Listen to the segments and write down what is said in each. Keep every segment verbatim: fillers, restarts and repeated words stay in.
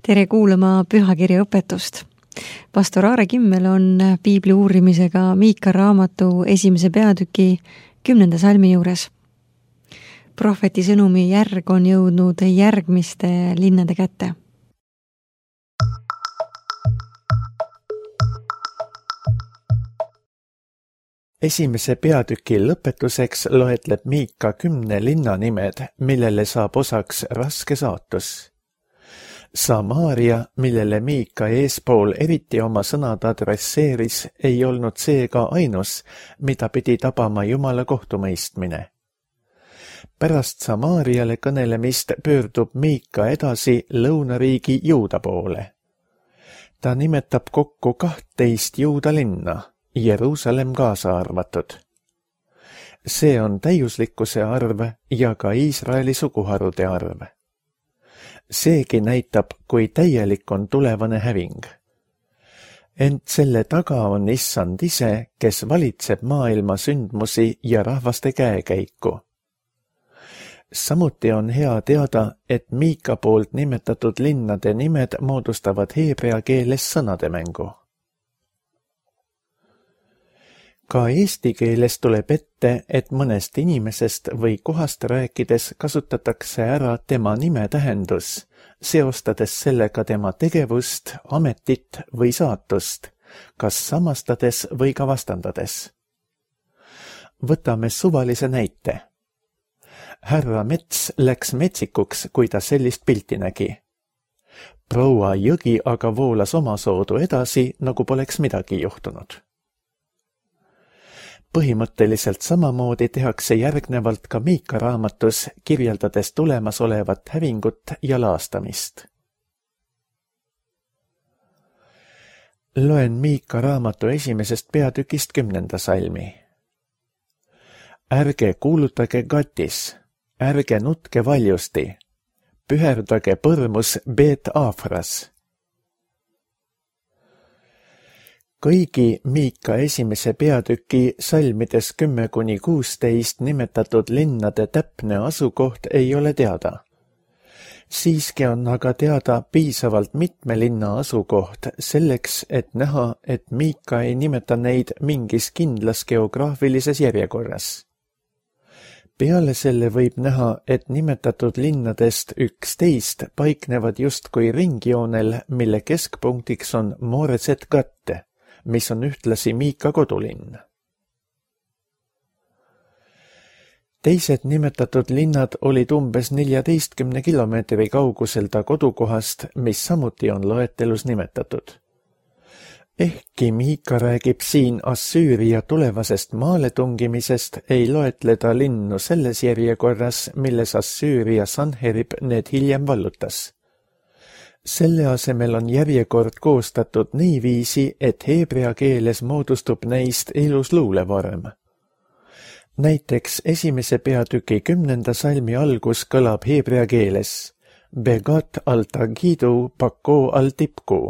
Tere kuulama pühakirja õpetust. Pastor Aare Kimmel on piibli uurimisega Miika raamatu esimese peatüki kümnenda salmi juures. Prohveti sõnumi järg on jõudnud järgmiste linnade kätte. Esimese peatüki lõpetuseks loetleb Miika kümne linna nimed, millele saab osaks raske saatus. Samaaria, millele Miika eespool eriti oma sõnad adresseeris, ei olnud seega ainus, mida pidi tabama Jumala kohtumõistmine. Pärast Samaariale kõnelemist pöördub Miika edasi lõunariigi Juuda poole. Ta nimetab kokku kahtteist Juuda linna, Jeruusalemm kaasa arvatud. See on täiuslikkuse arv ja ka Iisraeli suguharude arv. Seegi näitab, kui täielik on tulevane häving. Ent selle taga on Issand ise, kes valitseb maailma sündmusi ja rahvaste käekäiku. Samuti on hea teada, et Miika poolt nimetatud linnade nimed moodustavad heebrea keeles sõnademängu. Ka eesti keeles tuleb ette, et mõnest inimesest või kohast rääkides kasutatakse ära tema nime tähendus, seostades sellega tema tegevust, ametit või saatust, kas samastades või ka vastandades. Võtame suvalise näite. Härra Mets läks metsikuks, kui ta sellist pilti nägi. Proua Jõgi aga voolas oma soodu edasi, nagu poleks midagi juhtunud. Põhimõtteliselt samamoodi tehakse järgnevalt ka Miika raamatus, kirjeldades tulemas olevat hävingut ja laastamist. Loen Miika raamatu esimesest peatükist kümnenda salmi. Ärge kuulutage Gatis, ärge nutke valjusti, püherdage põrmus Beet Aafras. Kõigi Miika esimese peatüki salmides kümme kuni kuusteist nimetatud linnade täpne asukoht ei ole teada. Siiski on aga teada piisavalt mitme linna asukoht selleks, et näha, et Miika ei nimeta neid mingis kindlas geograafilises järjekorras. Peale selle võib näha, et nimetatud linnadest üksteist paiknevad justkui ringjoonel, mille keskpunktiks on Mooreset Gatte, mis on ühtlasi Miika kodulinn. Teised nimetatud linnad olid umbes neljateistkümne kilomeetri kaugusel ta kodukohast, mis samuti on loetelus nimetatud. Ehkki Miika räägib siin Assüüria tulevasest maaletungimisest, ei loetleda linnu selles järjekorras, milles Assüüria Sanherib need hiljem vallutas. Selle asemel on järjekord koostatud niiviisi, et heebrea keeles moodustub neist ilus luulevorm. Näiteks esimese peatüki kümnenda salmi algus kõlab heebrea keeles Begat al-Tagidu Pako al-Tipku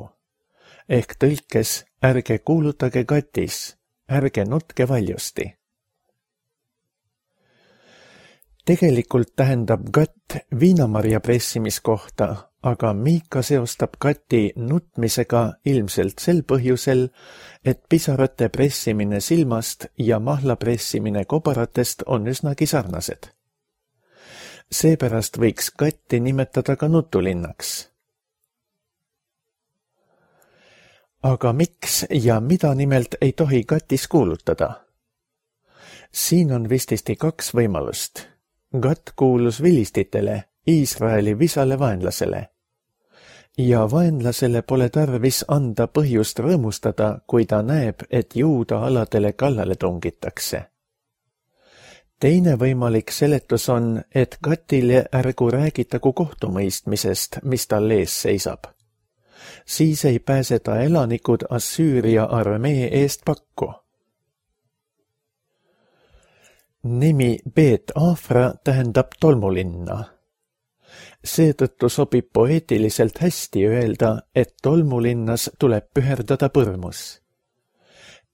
ehk tõlkes ärge kuulutage Gatis, ärge nutke valjusti. Tegelikult tähendab Gat viinamarja pressimiskohta, aga Miika seostab Gati nutmisega ilmselt sel põhjusel, et pisarate pressimine silmast ja mahla pressimine kobaratest on üsnagi sarnased. Seepärast võiks Gatti nimetada ka nutulinnaks. Aga miks ja mida nimelt ei tohi Gatis kuulutada? Siin on vististi kaks võimalust. Gat kuulus vilistitele, Iisraeli visale vaenlasele. Ja vaenlasele pole tarvis anda põhjust rõõmustada, kui ta näeb, et Juuda aladele kallale tungitakse. Teine võimalik seletus on, et Gatile ärgu räägitagu kohtumõistmisest, mis tal ees seisab. Siis ei pääse ta elanikud Assüüria armee eest pakku. Nimi Beet Aafra tähendab tolmulinna. Seetõttu sobib poeetiliselt hästi öelda, et tolmulinnas tuleb püherdada põrmus.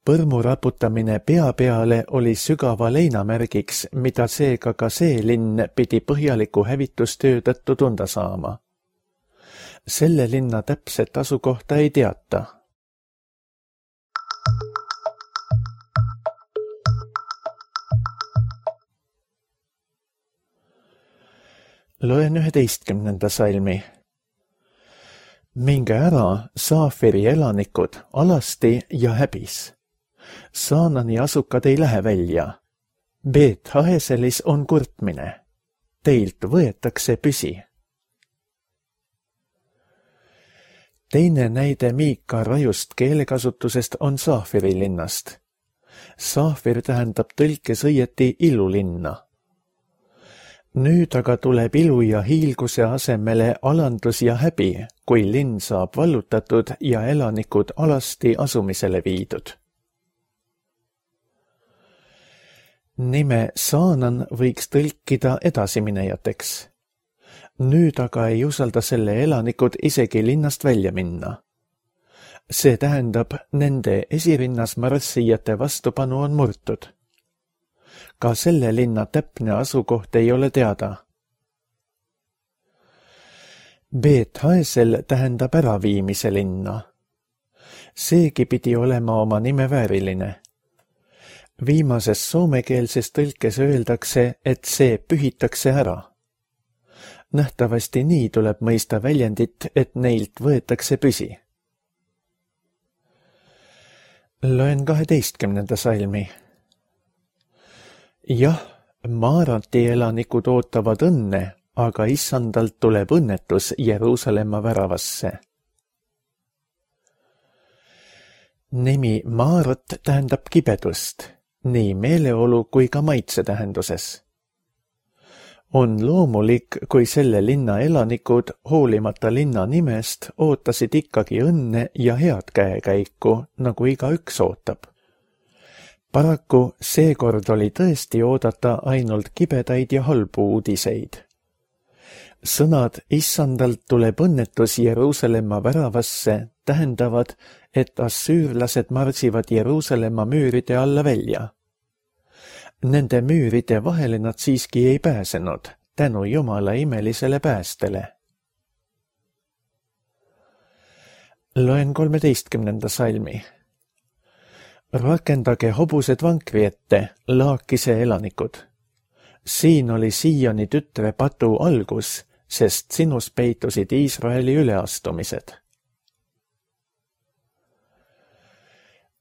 Põrmu raputamine pea peale oli sügava leinamärgiks, mida seega ka see linn pidi põhjaliku hävitustöö tõttu tunda saama. selle linna täpset asukohta ei teata. Loen üheteistkümnenda salmi. Minge ära, Saafiri elanikud, alasti ja häbis. Saanani asukad ei lähe välja. Beet Haeselis on kurtmine. Teilt võetakse püsi. Teine näide Miika rajust keelekasutusest on Saafiri linnast. Saafir tähendab tõlkes õieti ilulinna. Nüüd aga tuleb ilu ja hiilguse asemele alandus ja häbi, kui linn saab vallutatud ja elanikud alasti asumisele viidud. Nime Saanan võiks tõlkida edasiminejateks. Nüüd aga ei usalda selle elanikud isegi linnast välja minna. See tähendab, nende esirinnas marssijate vastupanu on murtud. Ka selle linna täpne asukoht ei ole teada. Beet Haesel tähendab äraviimise linna. Seegi pidi olema oma nime vääriline. Viimases soomekeelses tõlkes öeldakse, et see pühitakse ära. Nähtavasti nii tuleb mõista väljendit, et neilt võetakse püsi. Loen kaheteistkümnenda salmi. Jah, Maarati elanikud ootavad õnne, aga issandalt tuleb õnnetus Jeruusalemma väravasse. Nimi Maarat tähendab kibedust, nii meeleolu kui ka maitse tähenduses. On loomulik, kui selle linna elanikud, hoolimata linna nimest, ootasid ikkagi õnne ja head käekäiku, nagu igaüks ootab. Paraku seekord oli tõesti oodata ainult kibedaid ja halbu uudiseid. Sõnad issandalt tuleb õnnetus Jeruusalemma väravasse tähendavad, et assüürlased marsivad Jeruusalemma müüride alla välja. Nende müüride vahele nad siiski ei pääsenud, tänu Jumala imelisele päästele. Loen kolmeteistkümnenda salmi. Rakendage hobused vankri ette, Laakise elanikud. Siin oli Sioni tütre patu algus, sest sinus peitusid Iisraeli üleastumised.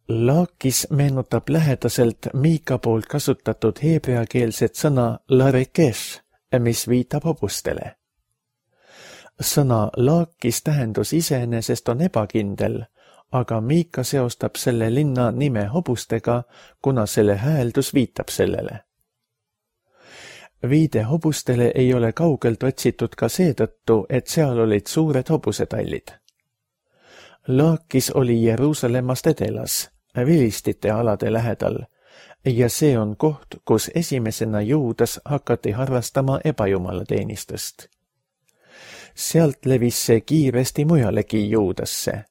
Laakis meenutab lähedaselt Miika poolt kasutatud heebreakeelset sõna larekesh, mis viitab hobustele. Sõna Laakis tähendus iseenesest on ebakindel, aga Miika seostab selle linna nime hobustega, kuna selle hääldus viitab sellele. Viide hobustele ei ole kaugelt otsitud ka seetõttu, et seal olid suured hobusetallid. Laakis oli Jeruusalemmast edelas, vilistite alade lähedal, ja see on koht, kus esimesena Juudas hakati harrastama ebajumalateenistust. Sealt levis see kiiresti mujalegi Juudasse.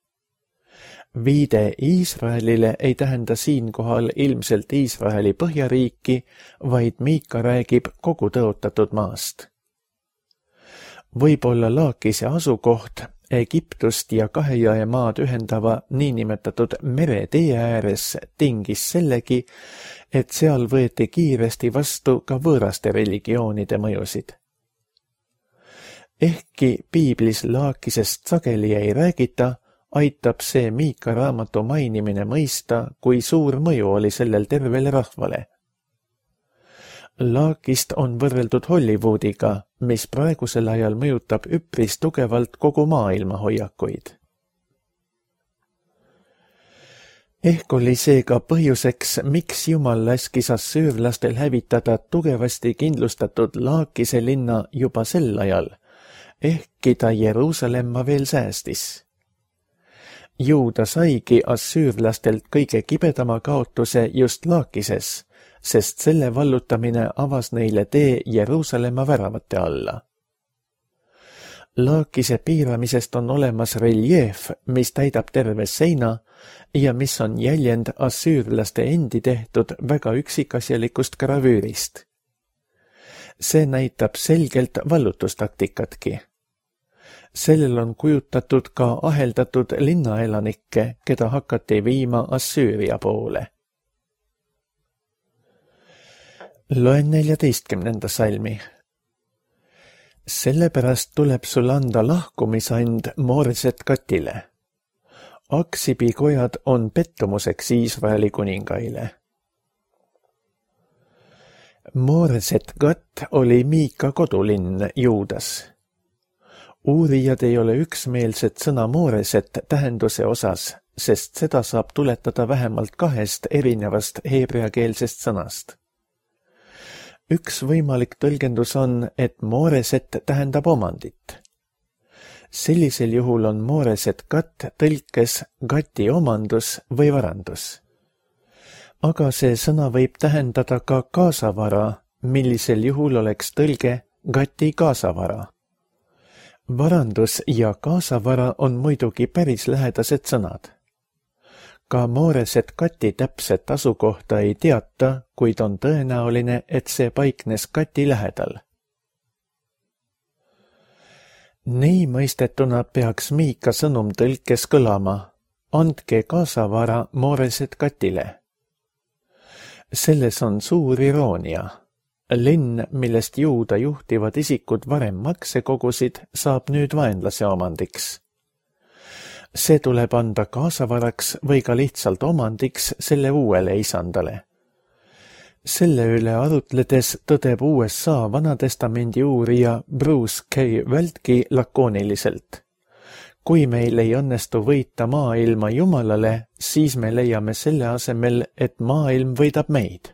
Viide Iisraelile ei tähenda siinkohal ilmselt Iisraeli põhjariiki, vaid Miika räägib kogu tõotatud maast. Võib-olla Laakise asukoht Egiptust ja Kahejõe maad ühendava niinimetatud meretee ääres tingis sellegi, et seal võeti kiiresti vastu ka võõraste religioonide mõjusid. Ehkki piiblis Laakisest sageli ei räägita, aitab see Miika raamatu mainimine mõista, kui suur mõju oli sellel tervele rahvale. Laakist on võrreldud Hollywoodiga, mis praegusel ajal mõjutab üpris tugevalt kogu maailma hoiakuid. Ehk oli seega põhjuseks, miks Jumal laskis assüürlastel hävitada tugevasti kindlustatud Laakise linna juba sel ajal, ehkki ta Jeruusalemma veel säästis. Juuda saigi assüürlastelt kõige kibedama kaotuse just Laakises, sest selle vallutamine avas neile tee Jeruusalemma väravate alla. Laakise piiramisest on olemas reljeef, mis täidab terve seina ja mis on jäljend assüürlaste endi tehtud väga üksikasjalikust gravüürist. See näitab selgelt vallutustaktikatki. sellel on kujutatud ka aheldatud linnaelanikke, keda hakati viima Assüüria poole. Loen neljateistkümnenda salmi. Sellepärast tuleb sul anda lahkumisand Mooreset Katile. Aksibi kojad on pettumuseks Iisraeli kuningaile. Mooreset Kat oli Miika kodulinn Juudas. Uurijad ei ole üksmeelsed sõna Mooreset tähenduse osas, sest seda saab tuletada vähemalt kahest erinevast heebreakeelsest sõnast. Üks võimalik tõlgendus on, et Mooreset tähendab omandit. Sellisel juhul on Mooreset Kat tõlkes Gati omandus või varandus. Aga see sõna võib tähendada ka kaasavara, millisel juhul oleks tõlge Gati kaasavara. Varandus ja kaasavara on muidugi päris lähedased sõnad. Ka Mooreset Kati täpset asukohta ei teata, kuid on tõenäoline, et see paiknes Kati lähedal. Nii mõistetuna peaks Miika sõnum tõlkes kõlama: andke kaasavara Mooreset Katile. Selles on suur iroonia. Linn, millest Juuda juhtivad isikud varem makse kogusid, saab nüüd vaenlase omandiks. See tuleb anda kaasavaraks või ka lihtsalt omandiks selle uuele isandale. Selle üle arutledes tõdeb U S A Vanatestamendi uurija Bruce K. Vältki lakooniliselt. Kui meil ei õnnestu võita maailma Jumalale, siis me leiame selle asemel, et maailm võidab meid.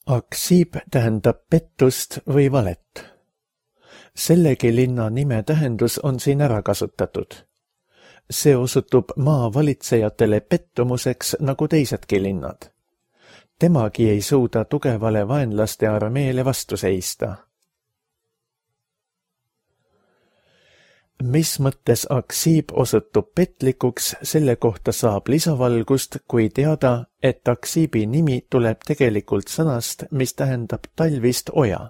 Aksib tähendab pettust või valet. Sellegi linna nime tähendus on siin ära kasutatud. See osutub maa valitsejatele pettumuseks nagu teisedki linnad. Temagi ei suuda tugevale vaenlaste armeele vastu seista. Mis mõttes Aksib osutub petlikuks, selle kohta saab lisavalgust, kui teada, et Aksibi nimi tuleb tegelikult sõnast, mis tähendab talvist oja.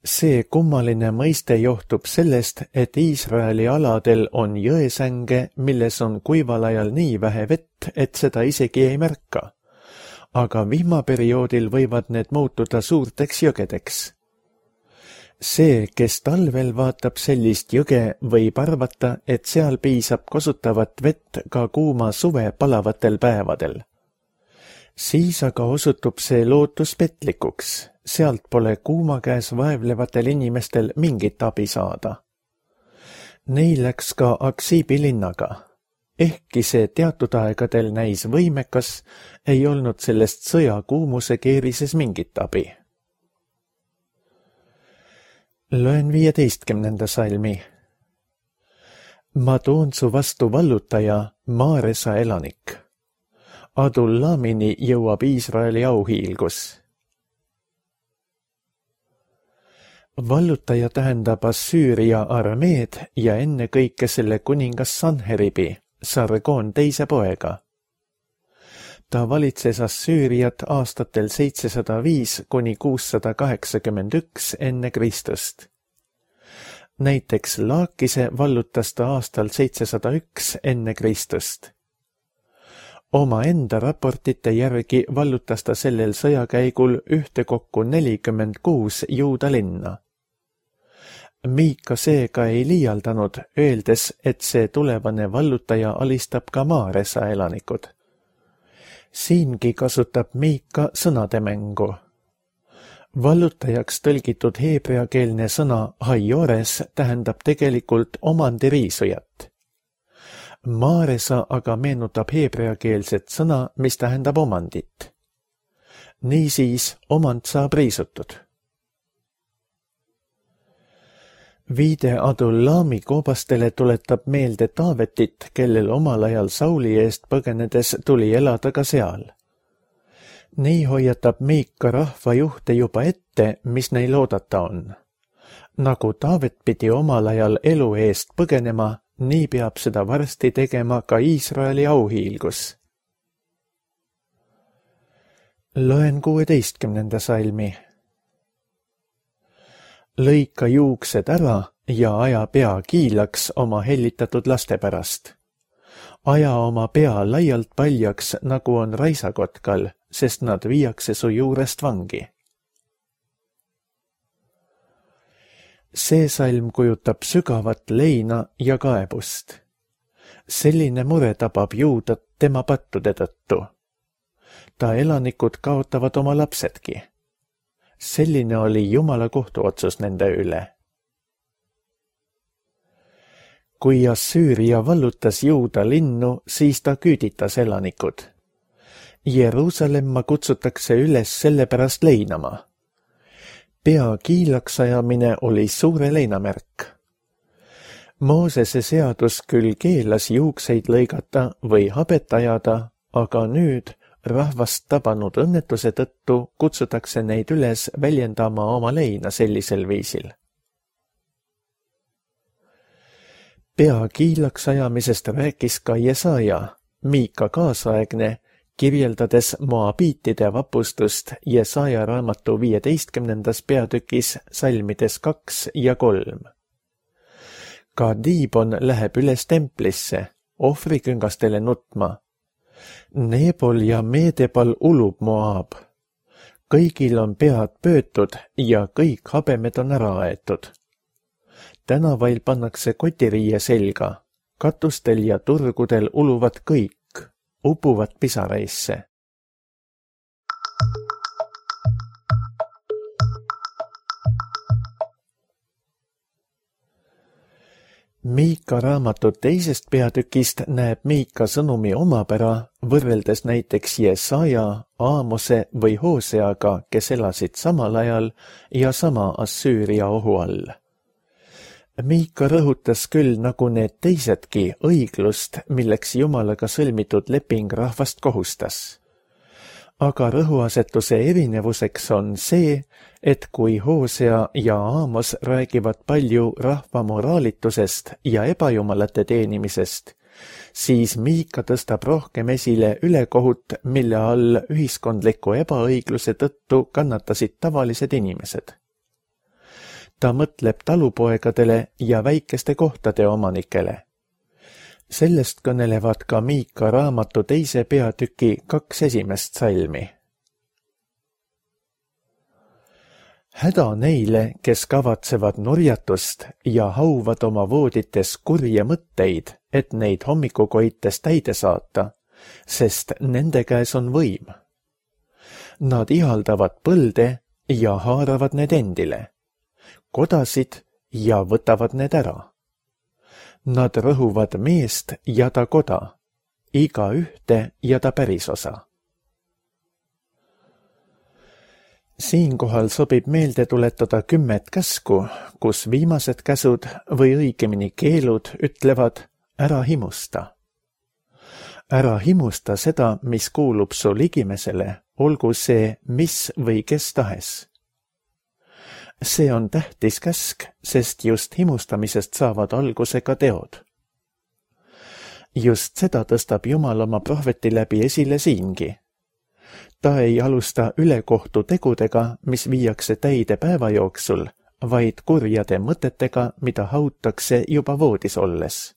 See kummaline mõiste johtub sellest, et Iisraeli aladel on jõesänge, milles on kuival ajal nii vähe vett, et seda isegi ei märka. Aga vihmaperioodil võivad need muutuda suurteks jõgedeks. See, kes talvel vaatab sellist jõge, võib arvata, et seal piisab kasutavat vett ka kuuma suve palavatel päevadel. Siis aga osutub see lootus petlikuks, sealt pole kuuma käes vaevlevatel inimestel mingit abi saada. Neil läks ka Aksibi linnaga. Ehkki see teatud aegadel näis võimekas, ei olnud sellest sõja kuumuse keerises mingit abi. Loen viieteistkümnenda salmi. Ma toon su vastu vallutaja, Maaresa elanik. Adullamini jõuab Iisraeli auhiilgus. Vallutaja tähendab Assüüria armeed ja ennekõike selle kuningas Sanheribi, Sargon teise poega. Ta valitses Assüüriat aastatel seitsesada viis kuni kuussada kaheksakümmend üks enne Kristust. Näiteks Laakise vallutas ta aastal seitsesada üks enne Kristust. Oma enda raportite järgi vallutas ta sellel sõjakäigul ühtekokku nelikümmend kuus Juuda linna. Miika seega ei liialdanud, öeldes, et see tulevane vallutaja alistab ka Maaresa elanikud. Siingi kasutab Miika sõnademängu. Vallutajaks tõlgitud heebreakeelne sõna haiores tähendab tegelikult omandiriisujat. Maaresa aga meenutab heebreakeelset sõna, mis tähendab omandit. Niisiis omand saab riisutud. Viide Adullami koobastele tuletab meelde Taavetit, kellel omal ajal Sauli eest põgenedes tuli elada ka seal. Nii hoiatab Miika rahvajuhte juba ette, mis neil oodata on. Nagu Taavet pidi omal ajal elu eest põgenema, nii peab seda varsti tegema ka Iisraeli auhiilgus. Loen kuueteistkümnenda salmi. Lõika juuksed ära ja aja pea kiilaks oma hellitatud laste pärast. Aja oma pea laialt paljaks, nagu on raisakotkal, sest nad viiakse su juurest vangi. See salm kujutab sügavat leina ja kaebust. Selline mure tabab Juudat tema pattude tõttu. Ta elanikud kaotavad oma lapsedki. Selline oli Jumala kohtuotsus nende üle. Kui Assüüria vallutas Juuda linnu, siis ta küüditas elanikud. Jeruusalemma kutsutakse üles selle pärast leinama. Pea kiilaks ajamine oli suure leinamärk. Moosese seadus küll keelas juukseid lõigata või habet ajada, aga nüüd rahvast tabanud õnnetuse tõttu kutsutakse neid üles väljendama oma leina sellisel viisil. Pea kiilaks ajamisest rääkis ka Jesaja, Miika kaasaegne, kirjeldades moabiitide vapustust Jesaja raamatu viieteistkümnendas peatükis salmides kaks ja kolm. Ka Diibon läheb üles templisse, ohvriküngastele nutma. Nebol ja Meedebal ulub Moab. Kõigil on pead pöötud ja kõik habemed on ära aetud. Tänavail pannakse kotiriie selga, katustel ja turgudel uluvad kõik, upuvad pisaraisse. Miika raamatu teisest peatükist näeb Miika sõnumi omapära võrreldes näiteks Jesaja, Aamose või Hooseaga, kes elasid samal ajal ja sama Assüüria ohu all. Miika rõhutas küll nagu need teisedki õiglust, milleks Jumalaga sõlmitud leping rahvast kohustas. Aga rõhuasetuse erinevuseks on see, et kui Hoosea ja Aamos räägivad palju rahva moraalitusest ja ebajumalate teenimisest, siis Miika tõstab rohkem esile ülekohut, mille all ühiskondliku ebaõigluse tõttu kannatasid tavalised inimesed. Ta mõtleb talupoegadele ja väikeste kohtade omanikele. Sellest kõnelevad ka Miika raamatu teise peatüki kaks esimest salmi. Häda neile, kes kavatsevad nurjatust ja hauvad oma voodites kurje mõtteid, et neid hommikukoites täide saata, sest nende käes on võim. Nad ihaldavad põlde ja haaravad need endile, kodasid ja võtavad need ära. Nad rõhuvad meest ja ta koda, iga ühte ja ta pärisosa. Siinkohal sobib meelde tuletada kümmet käsku, kus viimased käsud või õigemini keelud ütlevad ära himusta. Ära himusta seda, mis kuulub su ligimesele, olgu see mis või kes tahes. See on tähtis käsk, sest just himustamisest saavad alguse ka teod. Just seda tõstab Jumal oma prohveti läbi esile siingi. Ta ei alusta ülekohtu tegudega, mis viiakse täide päeva jooksul, vaid kurjade mõtetega, mida hautakse juba voodis olles.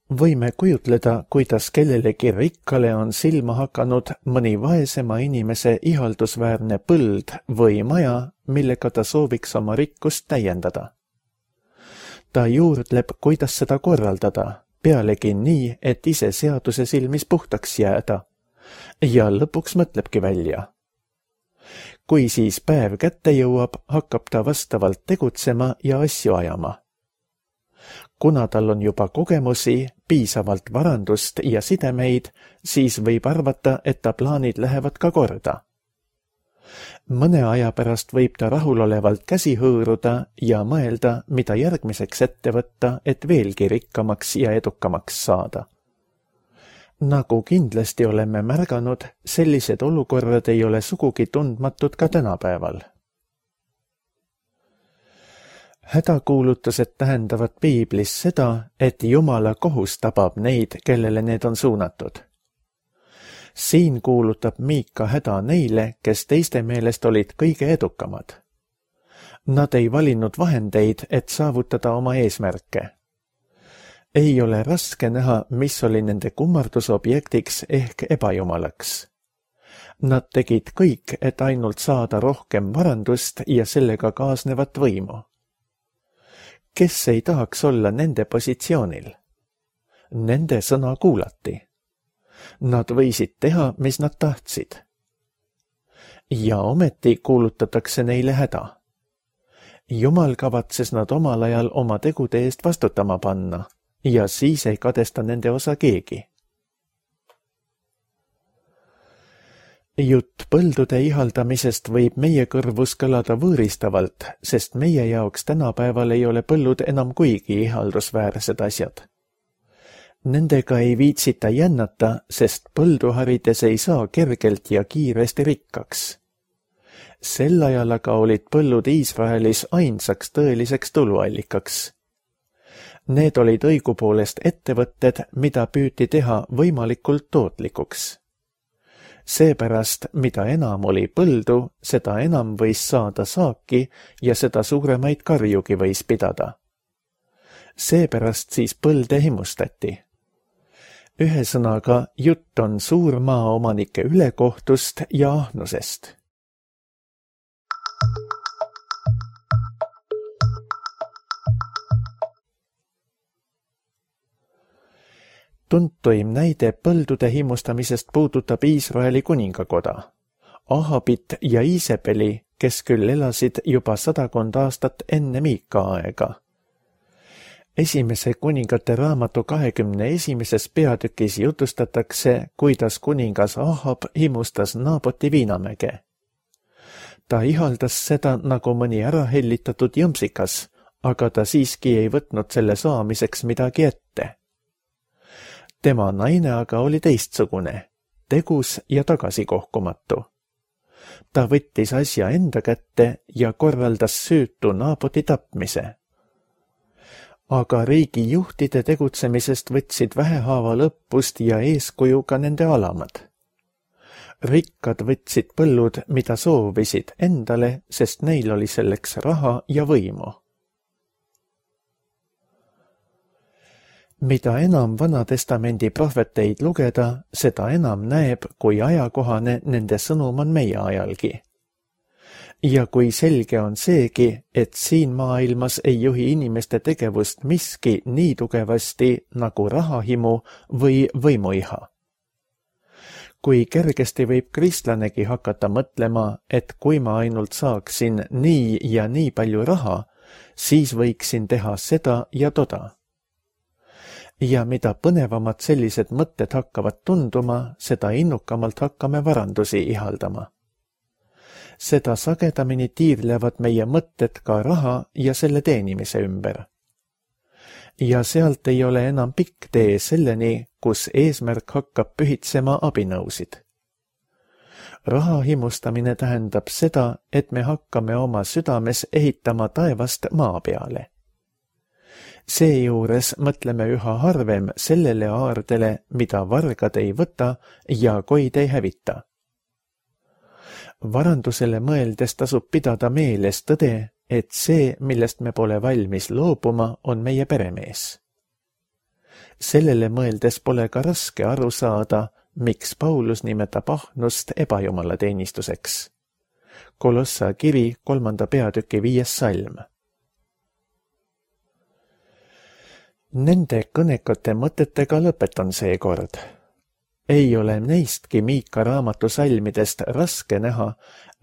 Võime kujutleda, kuidas kellelegi rikkale on silma hakanud mõni vaesema inimese ihaldusväärne põld või maja, millega ta sooviks oma rikkust täiendada. Ta juurdleb, kuidas seda korraldada, pealegi nii, et ise seaduse silmis puhtaks jääda, ja lõpuks mõtlebki välja. Kui siis päev kätte jõuab, hakkab ta vastavalt tegutsema ja asju ajama. Kuna tal on juba kogemusi, piisavalt varandust ja sidemeid, siis võib arvata, et ta plaanid lähevad ka korda. Mõne aja pärast võib ta rahulolevalt käsi hõõruda ja mõelda, mida järgmiseks ette võtta, et veelgi rikkamaks ja edukamaks saada. Nagu kindlasti oleme märganud, sellised olukorrad ei ole sugugi tundmatud ka tänapäeval. Hädakuulutused tähendavad piiblis seda, et Jumala kohus tabab neid, kellele need on suunatud. siin kuulutab Miika häda neile, kes teiste meelest olid kõige edukamad. Nad ei valinud vahendeid, et saavutada oma eesmärke. Ei ole raske näha, mis oli nende kummardusobjektiks ehk ebajumalaks. Nad tegid kõik, et ainult saada rohkem varandust ja sellega kaasnevat võimu. Kes ei tahaks olla nende positsioonil? Nende sõna kuulati. Nad võisid teha, mis nad tahtsid. Ja ometi kuulutatakse neile häda. Jumal kavatses nad omal ajal oma tegude eest vastutama panna ja siis ei kadesta nende osa keegi. Jutt põldude ihaldamisest võib meie kõrvus kõlada võõristavalt, sest meie jaoks tänapäeval ei ole põllud enam kuigi ihaldusväärsed asjad. Nendega ei viitsita jännata, sest põldu harides ei saa kergelt ja kiiresti rikkaks. Sel ajal aga olid põllud Iisraelis ainsaks tõeliseks tuluallikaks. Need olid õigupoolest ettevõtted, mida püüti teha võimalikult tootlikuks. Seepärast, mida enam oli põldu, seda enam võis saada saaki ja seda suuremaid karjugi võis pidada. Seepärast siis põlde himustati. Ühesõnaga, jutt on suurmaaomanike ülekohtust ja ahnusest. Tuntuim näide põldude himustamisest puudutab Iisraeli kuningakoda, Ahabit ja Iisebeli, kes küll elasid juba sadakond aastat enne Miika aega. Esimese kuningate raamatu kahekümne esimeses peatükis jutustatakse, kuidas kuningas Ahab himustas Naaboti viinamäge. Ta ihaldas seda nagu mõni ärahellitatud jõmsikas, aga ta siiski ei võtnud selle saamiseks midagi ette. Tema naine aga oli teistsugune, tegus ja tagasikohkumatu. Ta võttis asja enda kätte ja korraldas süütu Naaboti tapmise. Aga riigi juhtide tegutsemisest võtsid vähehaaval õppust ja eeskuju ka nende alamad. Rikkad võtsid põllud, mida soovisid endale, sest neil oli selleks raha ja võimu. Mida enam Vanatestamendi prohveteid lugeda, seda enam näeb, kui ajakohane nende sõnum on meie ajalgi. Ja kui selge on seegi, et siin maailmas ei juhi inimeste tegevust miski nii tugevasti nagu rahahimu või võimuiha. Kui kergesti võib kristlanegi hakata mõtlema, et kui ma ainult saaksin nii ja nii palju raha, siis võiksin teha seda ja toda. Ja mida põnevamad sellised mõtted hakkavad tunduma, seda innukamalt hakkame varandusi ihaldama. Seda sagedamini tiirlevad meie mõtted ka raha ja selle teenimise ümber. Ja sealt ei ole enam pikk tee selleni, kus eesmärk hakkab pühitsema abinõusid. Raha himustamine tähendab seda, et me hakkame oma südames ehitama taevast maa peale. Seejuures mõtleme üha harvem sellele aardele, mida vargad ei võta ja koid ei hävita. Varandusele mõeldes tasub pidada meeles tõde, et see, millest me pole valmis loobuma, on meie peremees. Sellele mõeldes pole ka raske aru saada, miks Paulus nimetab ahnust ebajumala teenistuseks. Kolossa kiri kolmanda peatüki viies salm. Nende kõnekate mõtetega lõpetan seekord. Ei ole neistki Miika raamatu salmidest raske näha,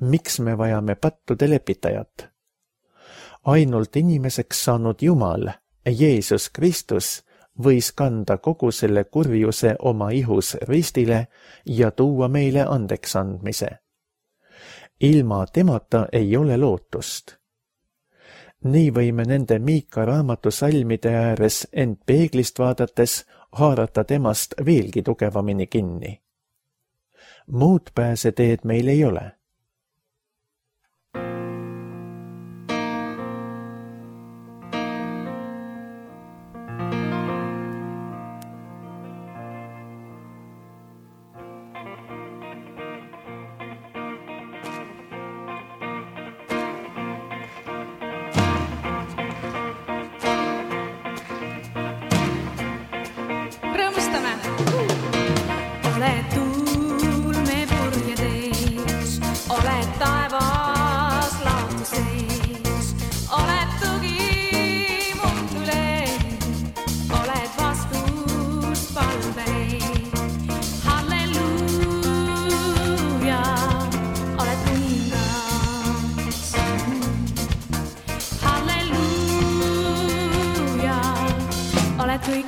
miks me vajame pattude lepitajat. Ainult inimeseks saanud Jumal, Jeesus Kristus, võis kanda kogu selle kurjuse oma ihus ristile ja tuua meile andeks andmise. Ilma temata ei ole lootust. Nii võime nende Miika raamatu salmide ääres end peeglist vaadates haarata temast veelgi tugevamini kinni. Muud pääseteed meil ei ole.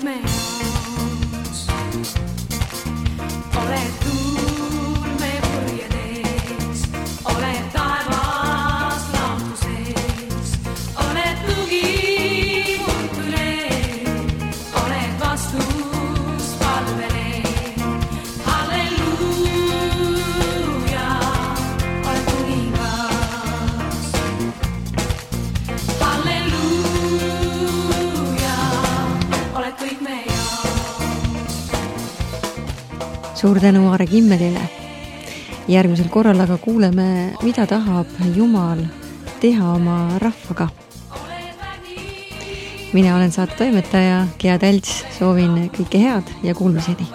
me jaoks. Oled tuulme purjedes, oled taevas lahutuses, oled tugi murtule, oled vastus palvele. Halleluuja, oled kuningas. Halleluuja, oled kõik me jaoks. Suur tänu Aare Kimmelile. Järgmisel korral aga kuuleme, mida tahab Jumal teha oma rahvaga. Mina olen saate toimetaja Gea Tälts, soovin kõike head ja kuulmiseni.